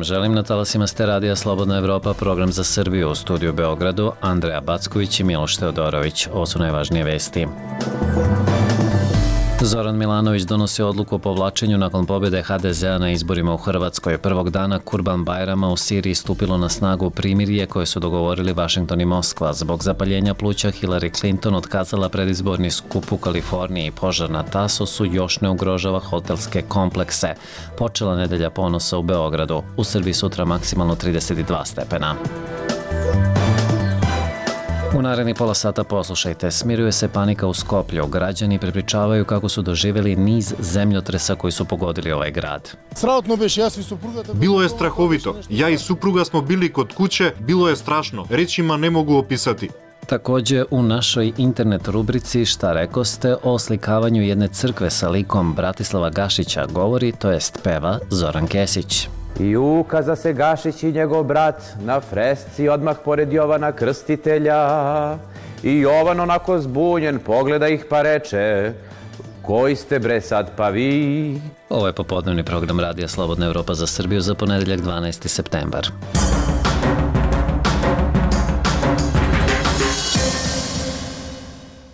vam želim na talasima ste radija Slobodna Evropa, program za Srbiju, u studiju u Beogradu, Andreja Backović i Miloš Teodorović. Ovo su najvažnije vesti. Zoran Milanović donosi odluku o povlačenju nakon pobjede HDZ-a na izborima u Hrvatskoj. Prvog dana Kurban Bajrama u Siriji stupilo na snagu primirje koje su dogovorili Vašington i Moskva. Zbog zapaljenja pluća Hillary Clinton otkazala predizborni skup u Kaliforniji. Požar na Tasosu još ne ugrožava hotelske komplekse. Počela nedelja ponosa u Beogradu. U Srbiji sutra maksimalno 32 stepena. U naredni pola sata poslušajte, smiruje se panika u Skoplju. Građani prepričavaju kako su doživjeli niz zemljotresa koji su pogodili ovaj grad. Bilo je strahovito. Ja i supruga smo bili kod kuće, bilo je strašno. Rečima ne mogu opisati. Također u našoj internet rubrici Šta rekoste o oslikavanju jedne crkve sa likom Bratislava Gašića govori, to jest peva Zoran Kesić. I ukaza se Gašić i njegov brat na fresci odmah pored Jovana Krstitelja. I Jovan onako zbunjen pogleda ih pa reče: koji ste bre sad pa vi? Ovo je popodnevni program radija Slobodna Evropa za Srbiju za ponedjeljak 12. septembar.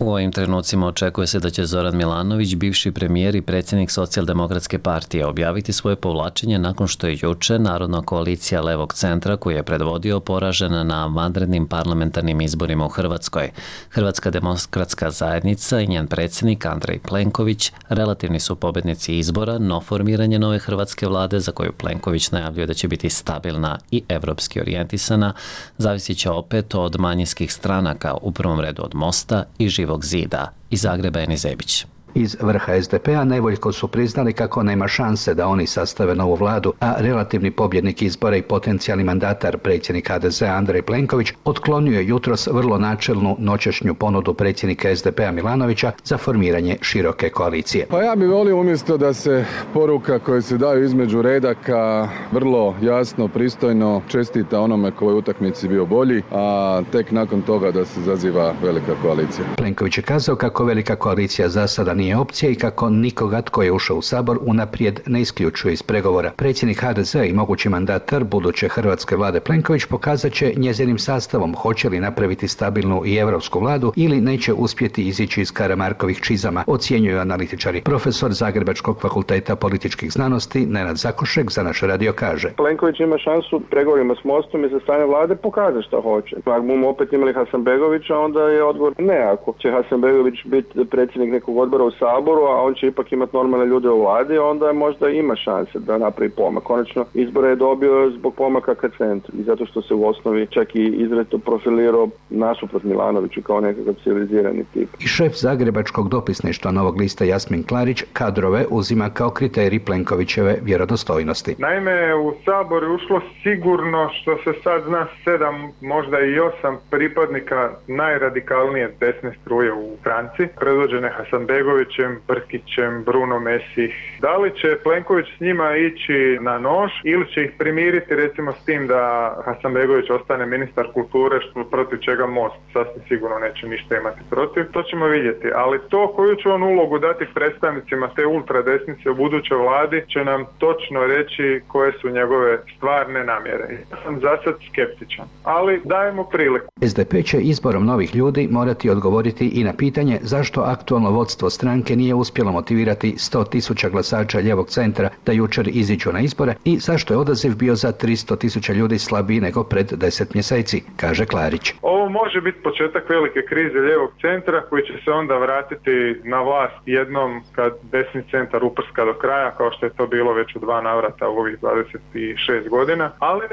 U ovim trenucima očekuje se da će Zoran Milanović, bivši premijer i predsjednik Socijaldemokratske partije, objaviti svoje povlačenje nakon što je juče Narodna koalicija Levog centra, koji je predvodio, poražena na vanrednim parlamentarnim izborima u Hrvatskoj. Hrvatska demokratska zajednica i njen predsjednik Andrej Plenković relativni su pobjednici izbora, no formiranje nove hrvatske vlade, za koju Plenković najavljuje da će biti stabilna i evropski orijentisana, zavisit će opet od manjinskih stranaka, u prvom redu od Mosta i Živog zida. Iz Zagreba Eni Zebić. Iz vrha SDP-a nevoljko su priznali kako nema šanse da oni sastave novu vladu, a relativni pobjednik izbora i potencijalni mandatar, predsjednik HDZ-a Andrej Plenković, otklonio je jutros vrlo načelnu noćašnju ponudu predsjednika SDP-a Milanovića za formiranje široke koalicije. Pa ja bih volio umjesto da se poruka koje se daju između redaka vrlo jasno, pristojno čestita onome koji u utakmici bio bolji, a tek nakon toga da se zaziva velika koalicija. Plenković je kazao kako velika koalicija za sada nije opcija i kako nikoga tko je ušao u Sabor unaprijed ne isključuje iz pregovora. Predsjednik HDZ-a i mogući mandatar buduće hrvatske vlade Plenković pokazat će njezinim sastavom hoće li napraviti stabilnu i europsku vladu ili neće uspjeti izići iz Karamarkovih čizama, ocjenjuju analitičari. Profesor Zagrebačkog fakulteta političkih znanosti Nenad Zakošek za naš radio kaže: Plenković ima šansu pregovorima s Mostom i za stanje vlade pokazati što hoće. Ako bomo opet imali Hasanbegovića, onda je odgovor ne. Ako će Hasanbegović biti predsjednik nekog odbora u Saboru, a on će ipak imati normalne ljude u vladi, onda možda ima šanse da napravi pomak. Konačno, izbore je dobio zbog pomaka ka centru i zato što se u osnovi čak i izrazito profilirao nasuprot Milanoviću kao nekakav civilizirani tip. I šef Zagrebačkog dopisništva Novog lista Jasmin Klarić kadrove uzima kao kriterij Plenkovićeve vjerodostojnosti. Naime, u Sabor je ušlo sigurno, što se sad zna, 7, možda i 8 pripadnika najradikalnije desne struje u stranci, predvođene Hasanbegovićem, Brkićem, Bruno Mesih. Da li će Plenković s njima ići na nož ili će ih primiriti recimo s tim da Hasanbegović ostane ministar kulture, što protiv čega Most sasvim sigurno neće ništa imati protiv, to ćemo vidjeti. Ali to koju će on ulogu dati predstavnicima te ultradesnice u budućoj vladi će nam točno reći koje su njegove stvarne namjere. Ja sam za sad skeptičan, ali dajemo priliku. SDP će izborom novih ljudi morati odgovoriti i na pitanje zašto aktualno vodstvo stranke nije uspjelo motivirati 100.000 glasača lijevog centra da jučer iziđu na izbore i zašto je odaziv bio za 300.000 ljudi slabiji nego pred 10 mjeseci, kaže Klarić. Ovo može biti početak velike krize lijevog centra koji će se onda vratiti na vlast jednom kad desni centar uprska do kraja, kao što je to bilo već u 2 navrata u ovih 26 godina, ali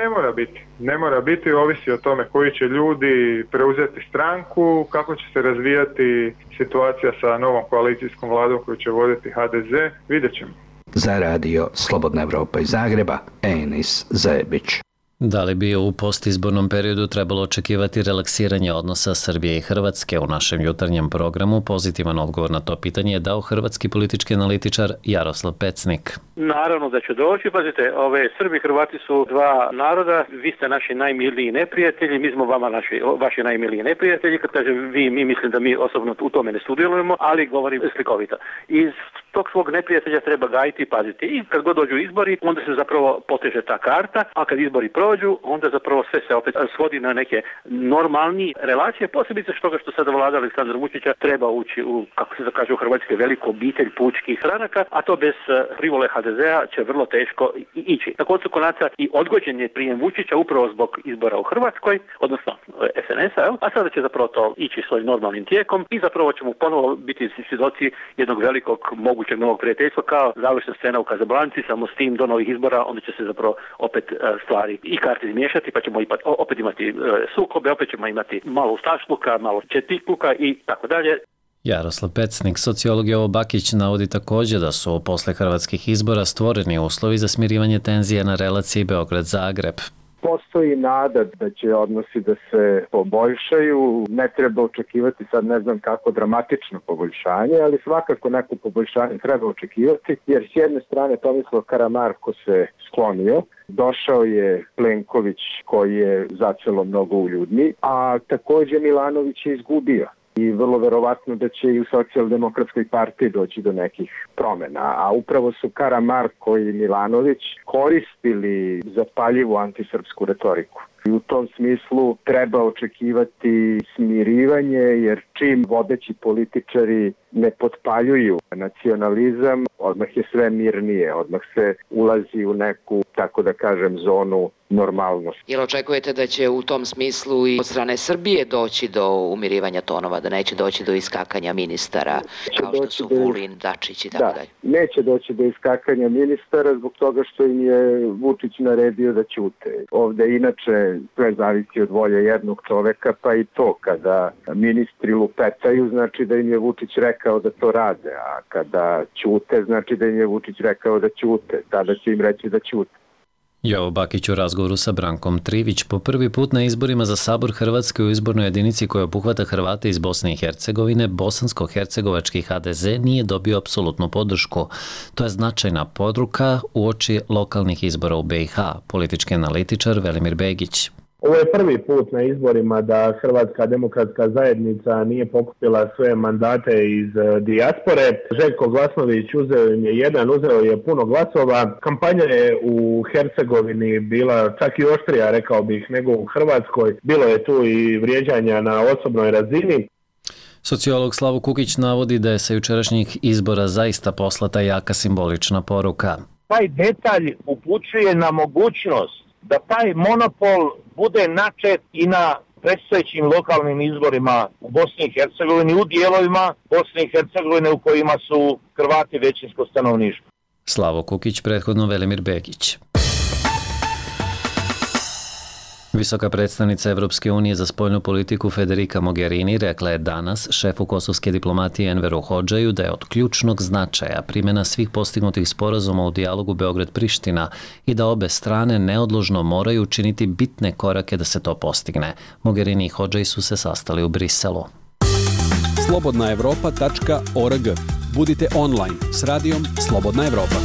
ne mora biti, ovisi o tome koji će ljudi preuzeti stranku, kako će se razvijati situacija sa novom koalicijskom vladom koju će voditi HDZ, vidjet ćemo. Za radio Slobodna Evropa iz Zagreba, Enis Zebić. Da li bi u postizbornom periodu trebalo očekivati relaksiranje odnosa Srbije i Hrvatske? U našem jutarnjem programu pozitivan odgovor na to pitanje je dao hrvatski politički analitičar Jaroslav Pecnik. Naravno da će doći, pazite, Srbi i Hrvati su dva naroda, vi ste naši najmiliji neprijatelji, mi smo vama vaši najmiliji neprijatelji, kad kažem vi, mi mislim da mi osobno u tome ne sudjelujemo, ali govorim slikovito. Iz tog svog neprijatelja treba gajiti i paziti. I kad god dođu izbori, onda se zapravo poteže ta karta, a kad izbori prođu, onda zapravo sve se opet svodi na neke normalni relacije, posebice što sada vlada Aleksandra Vučića treba ući u, kako se da kaže u Hrvatskoj, veliku obitelj pučkih stranaka, a to bez privole HDZ-a će vrlo teško ići. Na koncu konaca i odgođen je prijem Vučića upravo zbog izbora u Hrvatskoj, odnosno SNS-a, a sada će zapravo to ići svojim normalnim tijekom i zapravo ćemo ponovo biti svjedoci jednog velikog mogućeg novog prijateljstva kao završna scena u Kazablanci, samo s tim do novih izbora, onda će se zapravo opet stvari i karte izmiješati, pa ćemo opet imati sukobe, opet ćemo imati malo ustašluka, malo četnikluka i tako dalje. Jaroslav Pecnik, sociolog Jovo Bakić, navodi također da su posle hrvatskih izbora stvoreni uslovi za smirivanje tenzije na relaciji Beograd-Zagreb. Postoji nada da će odnosi da se poboljšaju, ne treba očekivati sad ne znam kako dramatično poboljšanje, ali svakako neko poboljšanje treba očekivati, jer s jedne strane Tomislav Karamarko se sklonio, došao je Plenković koji je zacelo mnogo uljudni, a također Milanović je izgubio. I vrlo verovatno da će i u Socijaldemokratskoj partiji doći do nekih promjena. A upravo su Karamarko i Milanović koristili zapaljivu antisrpsku retoriku. I u tom smislu treba očekivati smirivanje, jer čim vodeći političari ne potpaljuju nacionalizam, odmah je sve mirnije, odmah se ulazi u neku, tako da kažem, zonu normalnosti. Jel očekujete da će u tom smislu i od strane Srbije doći do umirivanja tonova, da neće doći do iskakanja ministara, kao što su Vulin, Dačić i tako dalje? Neće doći do iskakanja ministara zbog toga što im je Vučić naredio da ćute. Ovde inače sve zavisi od volje jednog čoveka, pa i to kada ministri lupetaju, znači da im je Vučić rekao da to rade, a kada ćute, znači da im je Vučić rekao da ćute. Tada će im reći da ćute. Jovo Bakić u razgovoru sa Brankom Trivić po prvi put na izborima za Sabor Hrvatske u izbornoj jedinici koja obuhvata Hrvate iz Bosne i Hercegovine, bosansko-hercegovački HDZ nije dobio apsolutnu podršku. To je značajna poruka uoči lokalnih izbora u BiH, politički analitičar Velimir Begić. Ovo je prvi put na izborima da Hrvatska demokratska zajednica nije pokupila sve mandate iz dijaspore. Željko Glasnović uzeo im je uzeo je puno glasova. Kampanja je u Hercegovini bila čak i oštrija, rekao bih, nego u Hrvatskoj. Bilo je tu i vrijeđanja na osobnoj razini. Sociolog Slavo Kukić navodi da je sa jučerašnjih izbora zaista poslata jaka simbolična poruka. Taj detalj upućuje na mogućnost da taj monopol bude načet i na predstojećim lokalnim izborima u Bosni i Hercegovini, u dijelovima Bosne i Hercegovine u kojima su Hrvati većinsko stanovništvo. Slavo Kukić, prethodno Velimir Begić. Visoka predstavnica Evropske unije za spoljnu politiku Federica Mogherini rekla je danas šefu kosovske diplomatije Enveru Hodžaju da je od ključnog značaja primjena svih postignutih sporazuma u dijalogu Beograd-Priština i da obe strane neodložno moraju učiniti bitne korake da se to postigne. Mogherini i Hodžaj su se sastali u Briselu. slobodnaevropa.org. Budite online s radijom Slobodna Evropa.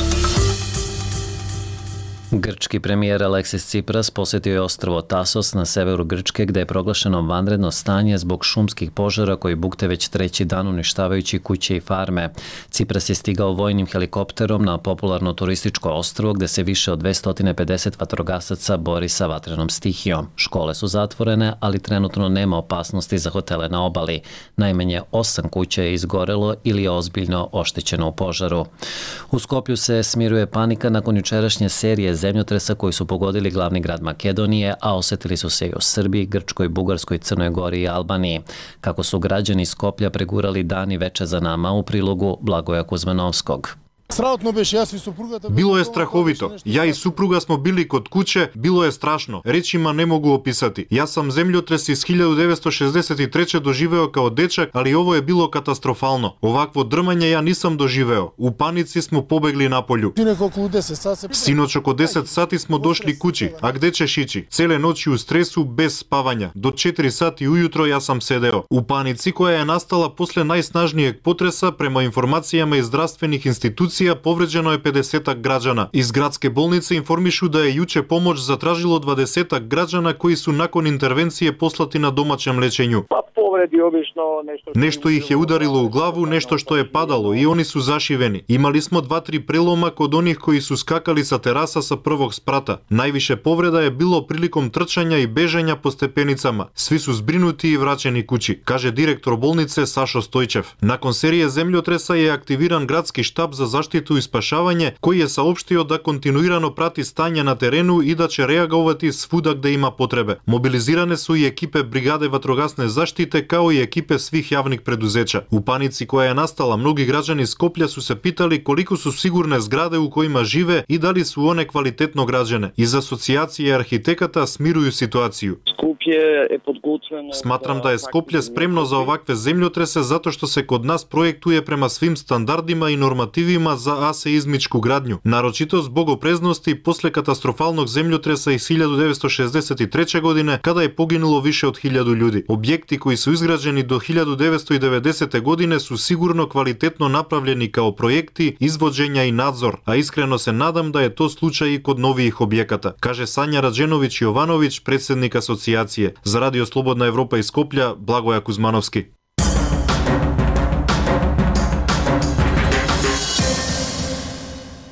Grčki premijer Aleksis Tsipras posjetio je ostrvo Tasos na severu Grčke gdje je proglašeno vanredno stanje zbog šumskih požara koji bukte već treći dan uništavajući kuće i farme. Tsipras je stigao vojnim helikopterom na popularno turističko ostrvo gdje se više od 250 vatrogasaca bori sa vatrenom stihijom. Škole su zatvorene, ali trenutno nema opasnosti za hotele na obali. Najmanje 8 kuća je izgorelo ili je ozbiljno oštećeno u požaru. U Skoplju se smiruje panika nakon jučerašnje serije zemljotresa koji su pogodili glavni grad Makedonije, a osjetili su se i u Srbiji, Grčkoj, Bugarskoj, Crnoj Gori i Albaniji. Kako su građani Skoplja pregurali dan i veče za nama, u prilogu Blagoja Kuzmanovskog. Bilo je strahovito. Ja i supruga smo bili kod kuće, bilo je strašno. Rečima ne mogu opisati. Ja sam zemljotres iz 1963. doživeo kao dečak, ali ovo je bilo katastrofalno. Ovakvo drmanje ja nisam doživeo. U panici smo pobegli napolju. Sinoć oko 10 sati smo došli kući. A gde ćeš ići? Cele noći u stresu, bez spavanja. Do 4 sati ujutro ja sam sedeo. U panici koja je nastala posle najsnažnijeg potresa, prema informacijama iz zdravstvenih institucija, povređeno je 50 građana. Iz gradske bolnice informišu da je juče pomoć zatražilo 20 građana koji su nakon intervencije poslati na domaćem lečenju. Pa po povredi obično Nešto ih je udarilo u glavu, nešto što je padalo i oni su zašiveni. Imali smo 2-3 preloma kod onih koji su skakali sa terasa sa prvog sprata. Najviše povreda je bilo prilikom trčanja i bežanja po stepenicama. Svi su zbrinuti i vraćeni kući, kaže direktor bolnice Sašo Stojčev. Nakon serije zemljotresa je aktiviran gradski štab za zaštitu i spašavanje, koji je saopštio da kontinuirano prati stanje na terenu i da će reagovati svuda gde ima potrebe. Mobilizirane su i ekipe brigade vatrogasne zaštite kao i ekipe svih javnih preduzeća. U panici koja je nastala, mnogi građani Skoplja su se pitali koliko su sigurne zgrade u kojima žive i da li su one kvalitetno građene. Iz asocijacije arhitekata smiruju situaciju. Smatram da je Skoplje spremno za ovakve zemljotrese zato što se kod nas projektuje prema svim standardima i normativima za aseizmičku gradnju, naročito zbog opreznosti posle katastrofalnog zemljotresa iz 1963. godine kada je poginulo više od 1000 ljudi. Objekti koji su izgrađeni do 1990. godine su sigurno kvalitetno napravljeni kao projekti, izvođenja i nadzor, a iskreno se nadam da je to slučaj i kod novijih objekata, kaže Sanja Rađenović-Jovanović, predsjednik asocijacije. Za Radio Slobodna Evropa iz Skoplja, Blagoja Kuzmanovski.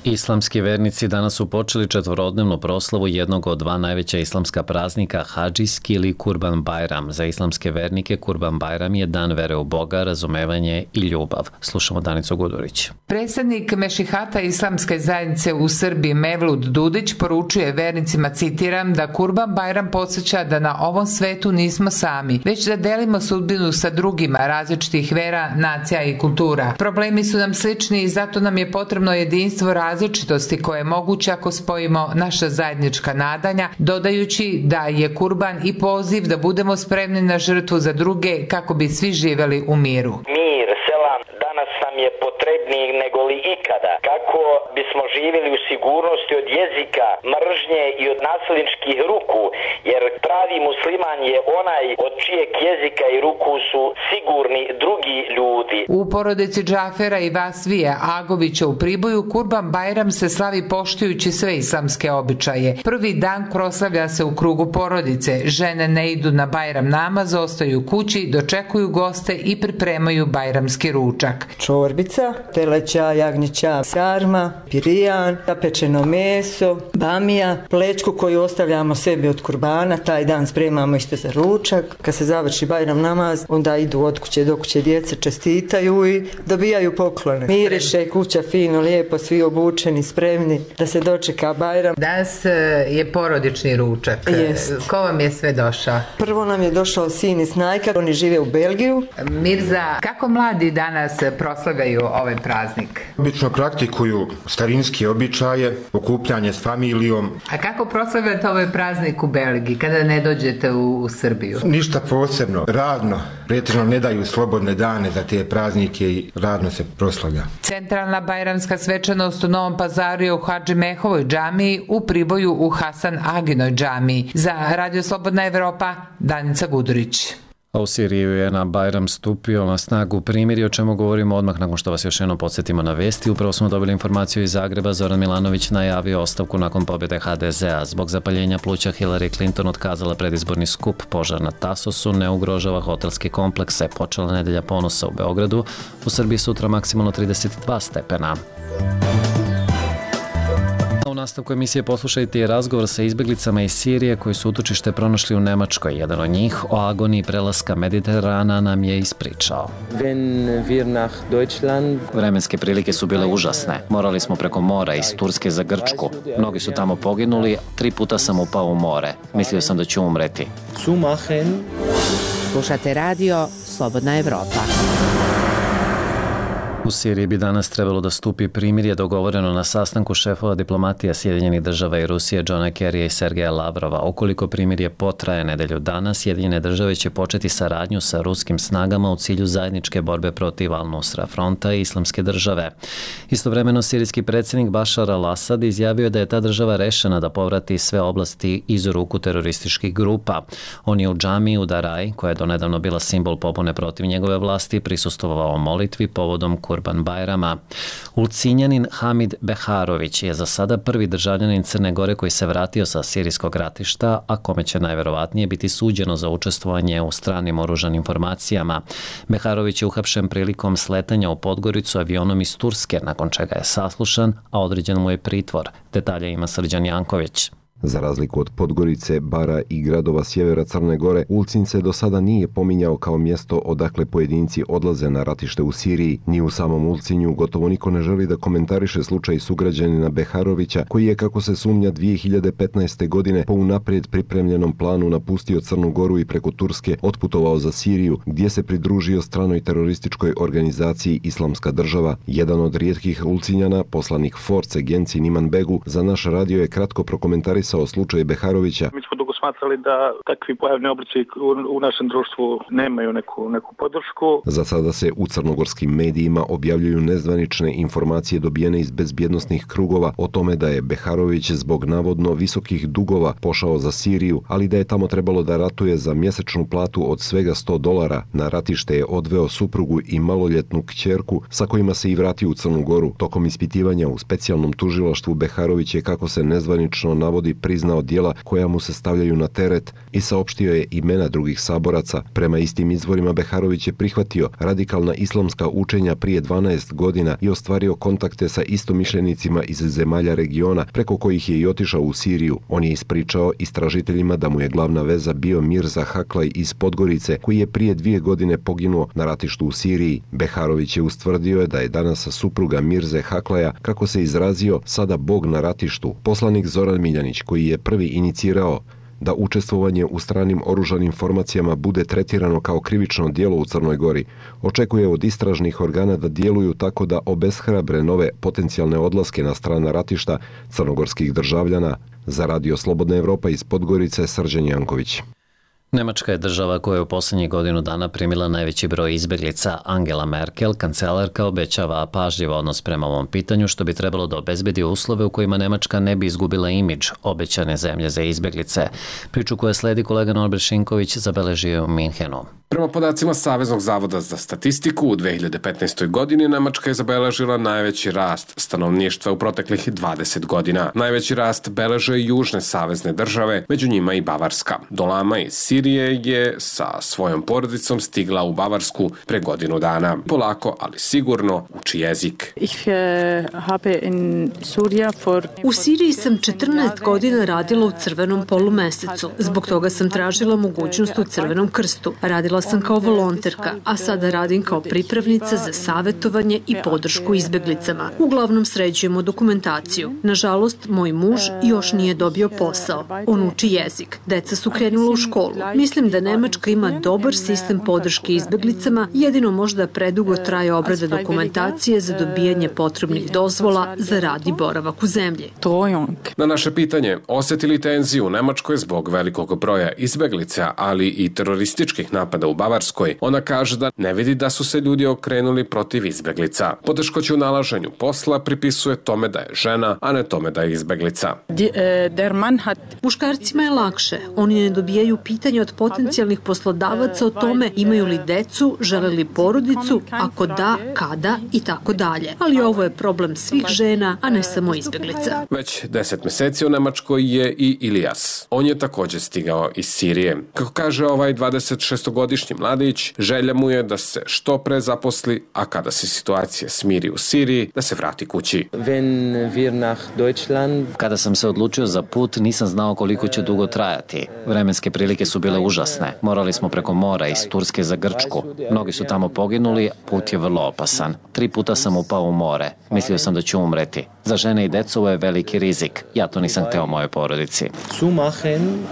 Islamski vernici danas su počeli četvorodnevnu proslavu jednog od dva najveća islamska praznika, Hadžijski ili Kurban Bajram. Za islamske vernike Kurban Bajram je dan vere u Boga, razumevanje i ljubav. Slušamo Danicu Gudurić. Predsjednik Mešihata Islamske zajednice u Srbiji Mevlud Dudić poručuje vernicima, citiram, da Kurban Bajram podsjeća da na ovom svetu nismo sami, već da delimo sudbinu sa drugima različitih vera, nacija i kultura. Problemi su nam slični i zato nam je potrebno jedinstvo različitosti koje je moguće ako spojimo naša zajednička nadanja, dodajući da je kurban i poziv da budemo spremni na žrtvu za druge kako bi svi živjeli u miru. Mir, selam, danas nam je potrebniji nego li ikada. Kako bismo živjeli u sigurnosti od jezika, mržnje i od nasilničkih ruku, jer pravi musliman je onaj od čijeg jezika i ruku su sigurni drugi ljudi. U porodici Džafera i Vasvija Agovića u Priboju Kurban Bajram se slavi poštujući sve islamske običaje. Prvi dan proslavlja se u krugu porodice. Žene ne idu na Bajram namaz, ostaju kući, dočekuju goste i pripremaju bajramski ručak. Čorbica, teleća, jagnjeća, sarma, pirijan, zapečeno meso, bamija, plečku koju ostavljamo sebi od kurbana, taj dan spremamo isto za ručak. Kad se završi Bajram namaz, onda idu od kuće do kuće, djeca čestitaju i dobijaju poklone. Miriše kuća fino, lijepo, svi obučeni, spremni da se dočeka Bajram. Danas je porodični ručak. Jest. Ko vam je sve došao? Prvo nam je došao sin iz Snajka, oni žive u Belgiju. Mirza, kako mladi danas proslavljaju ovaj praznik? Obično praktikuju starinske običaje, okupljanje s familijom. A kako proslavljate ovaj praznik u Belgiji kada ne dođete u Srbiju? Ništa posebno, radno. Pretežno ne daju slobodne dane za te praznike i radno se proslavlja. Centralna bajramska svečanost u Novom Pazaru je u Hadži Mehovoj džamiji, u Priboju u Hasan Aginoj džamiji. Za Radio Slobodna Evropa, Danica Gudurić. A u Siriji je na Bajram stupio na snagu primirje, o čemu govorimo odmah nakon što vas još jednom podsjetimo na vesti. Upravo smo dobili informaciju iz Zagreba. Zoran Milanović najavio ostavku nakon pobjede HDZ-a. Zbog zapaljenja pluća Hillary Clinton otkazala predizborni skup. Požar na Tasosu ne ugrožava hotelske komplekse. Počela nedelja ponosa u Beogradu. U Srbiji sutra maksimalno 32 stepena. U nastavku emisije poslušajte i razgovor sa izbjeglicama iz Sirije koji su utočište pronašli u Nemačkoj. Jedan od njih o agoniji prelaska Mediterana nam je ispričao. Vremenske prilike su bile užasne. Morali smo preko mora iz Turske za Grčku. Mnogi su tamo poginuli, 3 puta sam upao u more. Mislio sam da ću umreti. Slušate radio Slobodna Evropa. U Siriji bi danas trebalo da stupi primirje dogovoreno na sastanku šefova diplomatija Sjedinjenih država i Rusije Johna Kerrya i Sergeja Lavrova. Ukoliko primirje potraje nedelju dana, Sjedinjene države će početi saradnju sa ruskim snagama u cilju zajedničke borbe protiv Al-Nusra fronta i Islamske države. Istovremeno, sirijski predsjednik Bašar al-Asad izjavio da je ta država rešena da povrati sve oblasti iz ruku terorističkih grupa. On je u džamiji u Daraj, koja je donedavno bila simbol pobune protiv njegove vlasti, prisustvovao molitvi povodom Kurban Kurban Bajrama. Ulcinjanin Hamid Beharović je za sada prvi državljanin Crne Gore koji se vratio sa sirijskog ratišta, a kome će najverovatnije biti suđeno za učestvovanje u stranim oružanim formacijama. Beharović je uhapšen prilikom sletanja u Podgoricu avionom iz Turske, nakon čega je saslušan, a određen mu je pritvor. Detalje ima Srđan Janković. Za razliku od Podgorice, Bara i gradova sjevera Crne Gore, Ulcinj se do sada nije pominjao kao mjesto odakle pojedinci odlaze na ratište u Siriji. Ni u samom Ulcinju gotovo niko ne želi da komentariše slučaj sugrađanina Beharovića, koji je, kako se sumnja, 2015. godine po unaprijed pripremljenom planu napustio Crnu Goru i preko Turske otputovao za Siriju, gdje se pridružio stranoj terorističkoj organizaciji Islamska država. Jedan od rijetkih Ulcinjana, poslanik Force Genci Niman Begu, za naš radio je kratko prokomentarisao slučaj Beharovića. Mi smo dugo smatrali da takvi pojavni oblici u našem društvu nemaju neku podršku. Za sada se u crnogorskim medijima objavljuju nezvanične informacije dobijene iz bezbjednosnih krugova o tome da je Beharović zbog navodno visokih dugova pošao za Siriju, ali da je tamo trebalo da ratuje za mjesečnu platu od svega $100. Na ratište je odveo suprugu i maloljetnu kćerku sa kojima se i vratio u Crnu Goru. Tokom ispitivanja u specijalnom tužilaštvu Beharović je, kako se nezvanično navodi, priznao djela koja mu se stavljaju na teret i saopštio je imena drugih saboraca. Prema istim izvorima, Beharović je prihvatio radikalna islamska učenja prije 12 godina i ostvario kontakte sa istomišljenicima iz zemalja regiona, preko kojih je i otišao u Siriju. On je ispričao istražiteljima da mu je glavna veza bio Mirza Haklaj iz Podgorice, koji je prije 2 godine poginuo na ratištu u Siriji. Beharović je ustvrdio da je danas supruga Mirze Haklaja, kako se izrazio, sada bog na ratištu. Poslanik Zoran Miljanić, koji je prvi inicirao da učestvovanje u stranim oružanim formacijama bude tretirano kao krivično djelo u Crnoj Gori, očekuje od istražnih organa da djeluju tako da obeshrabre nove potencijalne odlaske na strana ratišta crnogorskih državljana. Za Radio Slobodna Evropa iz Podgorice, Srđan Janković. Nemačka je država koja je u posljednjih godinu dana primila najveći broj izbjeglica. Angela Merkel, kancelarka, obećava pažljiv odnos prema ovom pitanju, što bi trebalo da obezbedi uslove u kojima Nemačka ne bi izgubila imidž obećane zemlje za izbjeglice. Priču koja sledi kolega Norbert Šinković zabeležio je u Minhenu. Prema podacima Saveznog zavoda za statistiku, u 2015. godini Nemačka je zabeležila najveći rast stanovništva u proteklih 20 godina. Najveći rast beleže južne savezne države, među njima i Bavarska. Dolama iz Sirije je sa svojom porodicom stigla u Bavarsku pre godinu dana. Polako, ali sigurno uči jezik. U Siriji sam 14 godina radila u Crvenom polumesecu. Zbog toga sam tražila mogućnost u Crvenom krstu. Radila sam kao volonterka, a sada radim kao pripravnica za savjetovanje i podršku izbjeglicama. Uglavnom sređujemo dokumentaciju. Nažalost, moj muž još nije dobio posao. On uči jezik. Deca su krenula u školu. Mislim da Nemačka ima dobar sistem podrške izbjeglicama, jedino možda predugo traje obrada dokumentacije za dobijanje potrebnih dozvola za rad i boravak u zemlji. Na naše pitanje, osjeti li tenziju u Nemačkoj zbog velikog broja izbjeglica, ali i terorističkih napada u Bavarskoj, ona kaže da ne vidi da su se ljudi okrenuli protiv izbjeglica. Poteškoće u nalaženju posla pripisuje tome da je žena, a ne tome da je izbjeglica. Muškarcima je lakše. Oni ne dobijaju pitanja od potencijalnih poslodavaca o tome imaju li decu, žele li porodicu, ako da, kada i tako dalje. Ali ovo je problem svih žena, a ne samo izbjeglica. Već 10 mjeseci u Nemačkoj je i Ilijas. On je također stigao iz Sirije. Kako kaže ovaj 26-godišnji mladić, želja mu je da se što pre zaposli, a kada se situacija smiri u Siriji, da se vrati kući. Kada sam se odlučio za put, nisam znao koliko će dugo trajati. Vremenske prilike su bile užasne. Morali smo preko mora iz Turske za Grčku. Mnogi su tamo poginuli, put je vrlo opasan. 3 puta sam upao u more. Mislio sam da ću umreti. Za žene i decu ovo je veliki rizik. Ja to nisam hteo mojoj porodici.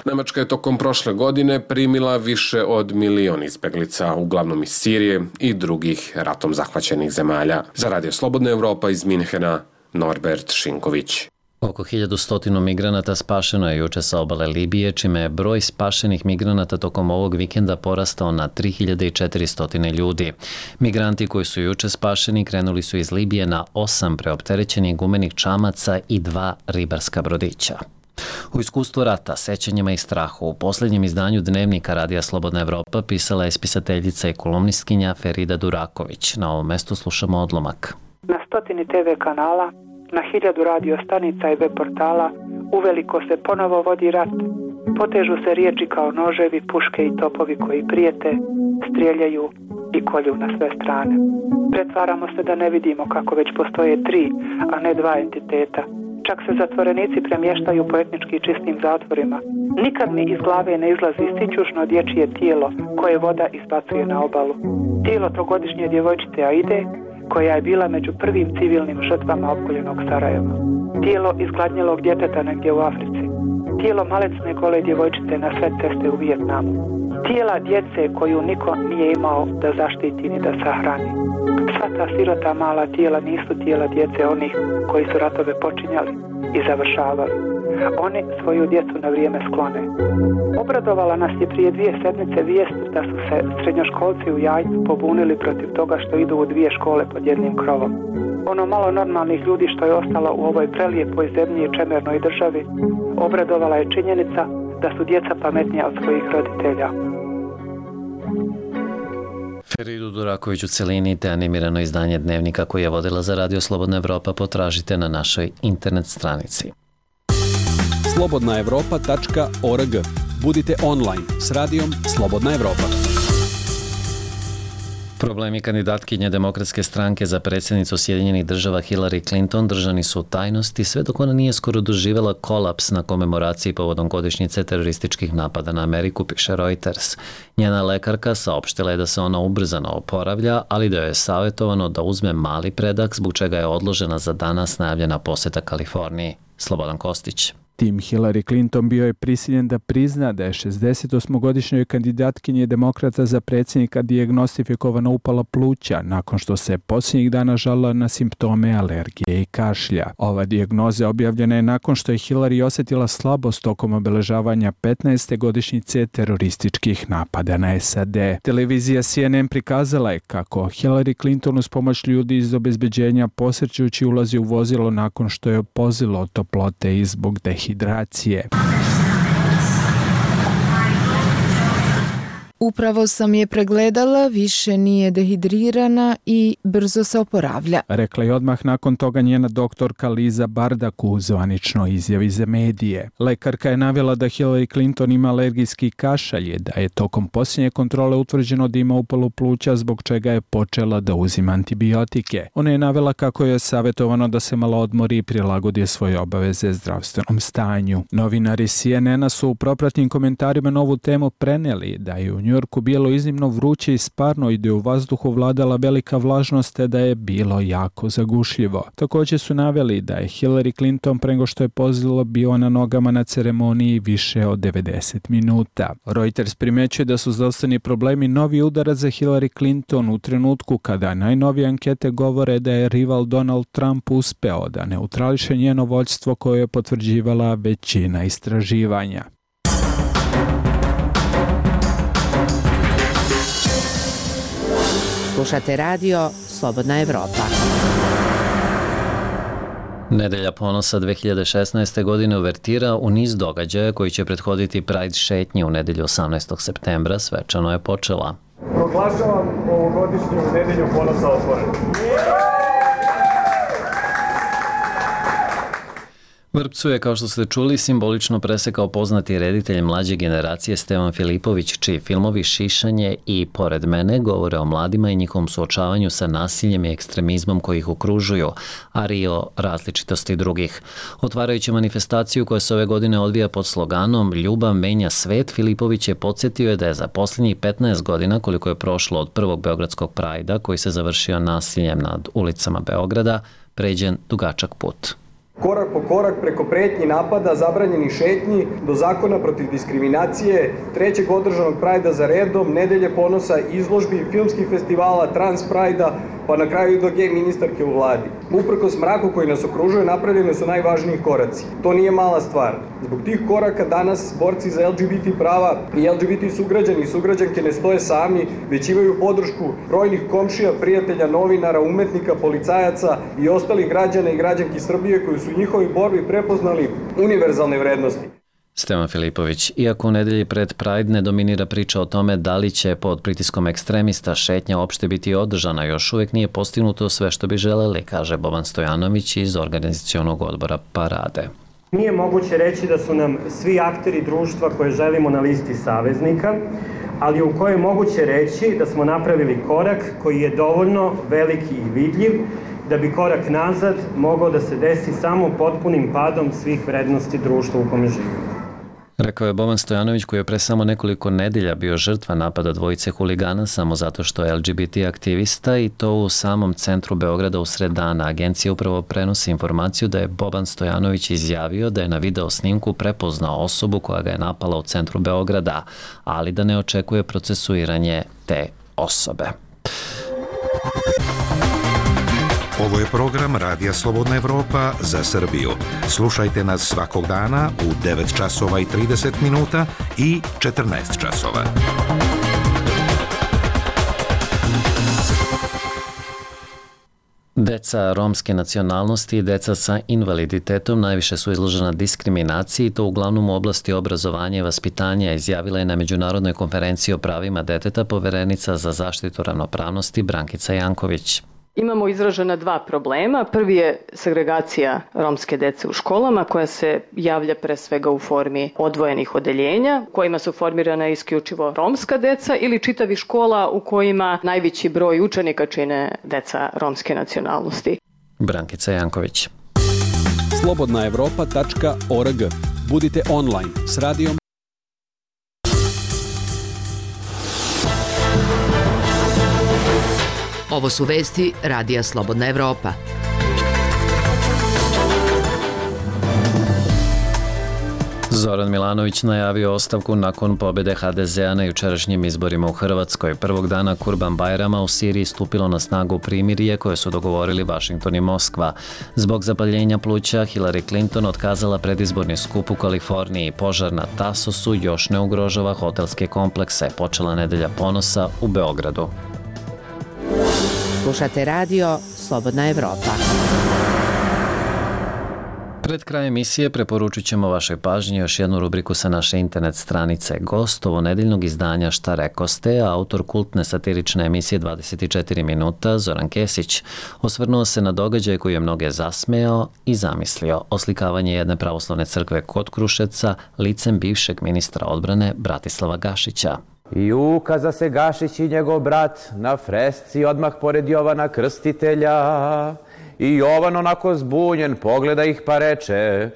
Nemačka je tokom prošle godine primila više od 1 milion izbjeglica, uglavnom iz Sirije i drugih ratom zahvaćenih zemalja. Za Radio Slobodna Evropa iz Minhena, Norbert Šinković. Oko 1100 migranata spašeno je juče sa obale Libije, čime je broj spašenih migranata tokom ovog vikenda porastao na 3400 ljudi. Migranti koji su juče spašeni krenuli su iz Libije na 8 preopterećenih gumenih čamaca i 2 ribarska brodića. U iskustvu rata, sećanjima i strahu u posljednjem izdanju Dnevnika Radija Slobodna Evropa pisala je spisateljica i kolumnistkinja Ferida Duraković. Na ovom mestu slušamo odlomak. Na 100 TV kanala, na 1000 radio stanica i web portala uveliko se ponovo vodi rat. Potežu se riječi kao noževi, puške i topovi koji prijete, strijeljaju i kolju na sve strane. Pretvaramo se da ne vidimo kako već postoje 3, a ne 2 entiteta. Čak se zatvorenici premještaju po etnički čistim zatvorima. Nikad mi iz glave ne izlazi sićušno dječje tijelo koje voda izbacuje na obalu. Tijelo trogodišnje djevojčice Aide, koja je bila među prvim civilnim žrtvama opkoljenog Sarajeva. Tijelo izgladnjelog djeteta negdje u Africi. Tijelo malecne gole djevojčice na sred ceste u Vijetnamu. Tijela djece koju niko nije imao da zaštiti ni da sahrani. Sva ta sirota mala tijela nisu tijela djece onih koji su ratove počinjali i završavali. Oni svoju djecu na vrijeme sklone. Obradovala nas je prije 2 sedmice vijest da su se srednjoškolci u Jajcu pobunili protiv toga što idu u 2 škole pod jednim krovom. Ono malo normalnih ljudi što je ostalo u ovoj prelijepoj zemlji i čemernoj državi, obradovala je činjenica da su djeca pametnija od svojih roditelja. Feridu Duraković u celini te animirano izdanje Dnevnika koje je vodila za Radio Slobodna Evropa potražite na našoj internet stranici. slobodnaevropa.org. Budite online s radijom Slobodna Evropa. Problemi kandidatkinje Demokratske stranke za predsjednicu Sjedinjenih Država Hillary Clinton držani su u tajnosti sve dok ona nije skoro doživjela kolaps na komemoraciji povodom godišnjice terorističkih napada na Ameriku, piše Reuters. Njena lekarka saopštila je da se ona ubrzano oporavlja, ali da joj je savjetovano da uzme mali predah, zbog čega je odložena za danas najavljena posjeta Kaliforniji. Slobodan Kostić. Tim Hillary Clinton bio je prisiljen da prizna da je 68-godišnjoj kandidatkinji demokrata za predsjednika dijagnostifikovana upala pluća nakon što se posljednjih dana žalila na simptome alergije i kašlja. Ova dijagnoza objavljena je nakon što je Hillary osjetila slabost tokom obeležavanja 15. godišnjice terorističkih napada na SAD. Televizija CNN prikazala je kako Hillary Clinton uz pomoć ljudi iz obezbeđenja posrćući ulazi u vozilo nakon što je pozilo od toplote i zbog dehidracije. Upravo sam je pregledala, više nije dehidrirana i brzo se oporavlja. Rekla je odmah nakon toga njena doktorka Liza Bardak u zvaničnoj izjavi za medije. Lekarka je navela da Hillary Clinton ima alergijski kašalj, da je tokom posljednje kontrole utvrđeno da ima upalu pluća zbog čega je počela da uzima antibiotike. Ona je navela kako je savjetovano da se malo odmori i prilagodi svoje obaveze zdravstvenom stanju. Novinari CNN-a su u propratnim komentarima na ovu temu prenijeli da je u New Yorku bilo iznimno vruće i sparno i da je u vazduhu vladala velika vlažnost te da je bilo jako zagušljivo. Također su naveli da je Hillary Clinton pre nego što je pozilo bio na nogama na ceremoniji više od 90 minuta. Reuters primećuje da su zdravstveni problemi novi udarac za Hillary Clinton u trenutku kada najnovije ankete govore da je rival Donald Trump uspeo da neutrališe njeno vođstvo koje je potvrđivala većina istraživanja. Slušate radio Slobodna Evropa. Nedelja ponosa 2016. godine uvertira u niz događaja koji će prethoditi Pride šetnji u nedelju 18. septembra svečano je počela. Proglašavam ovogodišnju nedelju ponosa otvorenu. Vrpcu je, kao što ste čuli, simbolično presekao poznati reditelj mlađe generacije Stevan Filipović, čiji filmovi Šišanje i Pored mene govore o mladima i njihovom suočavanju sa nasiljem i ekstremizmom koji ih okružuju, ali i o različitosti drugih. Otvarajući manifestaciju koja se ove godine odvija pod sloganom Ljubav menja svet, Filipović je podsjetio da je za posljednjih 15 godina, koliko je prošlo od prvog beogradskog Prajda, koji se završio nasiljem nad ulicama Beograda, pređen dugačak put. Korak po korak preko pretnji napada, zabranjenih šetnji, do zakona protiv diskriminacije, trećeg održanog Prajda za redom, nedelje ponosa, izložbi, filmskih festivala, Trans Prajda, pa na kraju i do gej ministarke u vladi. Uprkos mraku koji nas okružuje, napravljene su najvažniji koraci. To nije mala stvar. Zbog tih koraka danas borci za LGBT prava i LGBT sugrađani i sugrađanke ne stoje sami, već imaju podršku brojnih komšija, prijatelja, novinara, umetnika, policajaca i ostalih građana i građanki Srbije koji su u njihovoj borbi prepoznali univerzalne vrednosti. Stevan Filipović, iako u nedelji pred Pride ne dominira priča o tome da li će pod pritiskom ekstremista šetnja uopšte biti održana, još uvijek nije postignuto sve što bi želeli, kaže Boban Stojanović iz organizacionog odbora Parade. Nije moguće reći da su nam svi akteri društva koje želimo na listi saveznika, ali u kojoj je moguće reći da smo napravili korak koji je dovoljno veliki i vidljiv da bi korak nazad mogao da se desi samo potpunim padom svih vrednosti društva u kome živimo. Rekao je Boban Stojanović, koji je pre samo nekoliko nedelja bio žrtva napada dvojice huligana samo zato što je LGBT aktivista, i to u samom centru Beograda usred dana. Agencija upravo prenosi informaciju da je Boban Stojanović izjavio da je na video snimku prepoznao osobu koja ga je napala u centru Beograda, ali da ne očekuje procesuiranje te osobe. Ovo je program Radija Slobodna Evropa za Srbiju. Slušajte nas svakog dana u 9 časova i 30 minuta i 14 časova. Deca romske nacionalnosti i deca sa invaliditetom najviše su izložena diskriminaciji, to uglavnom u oblasti obrazovanja i vaspitanja, izjavila je na Međunarodnoj konferenciji o pravima deteta poverenica za zaštitu ravnopravnosti Brankica Janković. Imamo izražena dva problema. Prvi je segregacija romske dece u školama, koja se javlja pre svega u formi odvojenih odeljenja, kojima su formirana isključivo romska deca, ili čitavih škola u kojima najveći broj učenika čine deca romske nacionalnosti. Brankica Janković. slobodnaevropa.org. Budite online s radijom. Ovo su vesti Radija Slobodna Evropa. Zoran Milanović najavio ostavku nakon pobjede HDZ-a na jučerašnjim izborima u Hrvatskoj. Prvog dana Kurban-Bajrama u Siriji stupilo na snagu primirje koje su dogovorili Vašington i Moskva. Zbog zapaljenja pluća Hillary Clinton otkazala predizborni skup u Kaliforniji. Požar na Tasosu još ne ugrožava hotelske komplekse. Počela nedelja ponosa u Beogradu. Slušate radio Slobodna Evropa. Pred kraj emisije preporučit ćemo vašoj pažnji još jednu rubriku sa naše internet stranice. Gost ovonedeljnog izdanja Šta rekoste, autor kultne satirične emisije 24 minuta, Zoran Kesić, osvrnuo se na događaj koji je mnoge zasmejao i zamislio. Oslikavanje jedne pravoslavne crkve kod Kruševca licem bivšeg ministra odbrane Bratislava Gašića. I ukaza se Gašić i njegov brat na fresci odmah pored Jovana Krstitelja. I Jovan onako zbunjen pogleda ih pa reče: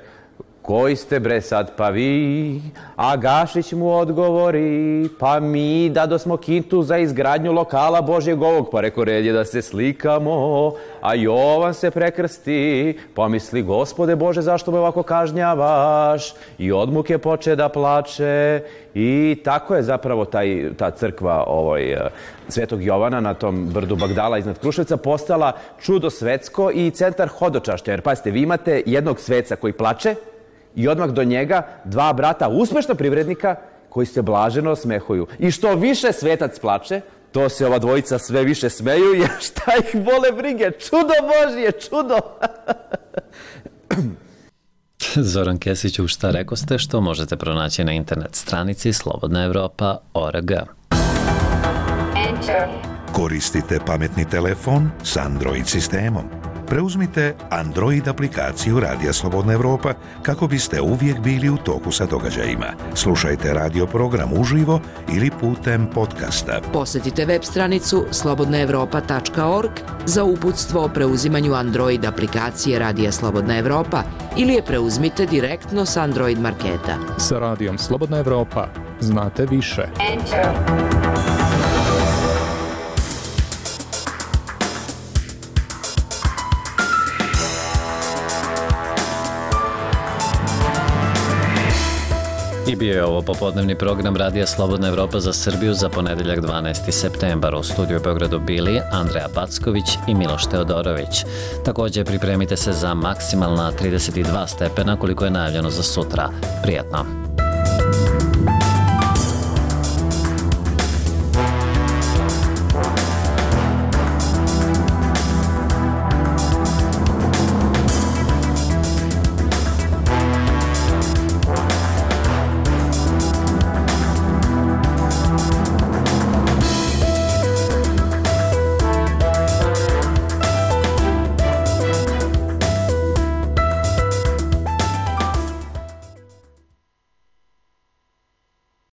koji ste bre sad pa vi? A Gašić mu odgovori: pa mi dado smo kintu za izgradnju lokala Božjeg ovog, pa reko red je da se slikamo. A Jovan se prekrsti, pomisli: Gospode Bože, zašto me ovako kažnjavaš? I od muke poče da plače. I tako je zapravo ta crkva Svetog Jovana na tom brdu Bagdala iznad Kruševca postala čudo svetsko i centar hodočašća. Jer pazite, vi imate jednog sveca koji plače i odmah do njega dva brata uspešna privrednika koji se blaženo osmehuju. I što više svetac plače, to se ova dvojica sve više smeju, jer šta ih bole brige? Čudo Božje, čudo! Zoran Kesić, u Šta rekoste, što možete pronaći na internet stranici slobodnaevropa.org. Koristite pametni telefon s Android sistemom. Preuzmite Android aplikaciju Radija Slobodna Evropa kako biste uvijek bili u toku sa događajima. Slušajte radio program uživo ili putem podcasta. Posjetite web stranicu slobodnaevropa.org za uputstvo o preuzimanju Android aplikacije Radija Slobodna Evropa ili je preuzmite direktno s Android marketa. Sa Radijom Slobodna Evropa znate više. I bio je ovo popodnevni program Radija Slobodna Evropa za Srbiju za ponedeljak 12. septembar. U studiju u Beogradu bili Andreja Packović i Miloš Teodorović. Također pripremite se za maksimalna 32 stepena koliko je najavljeno za sutra. Prijatno!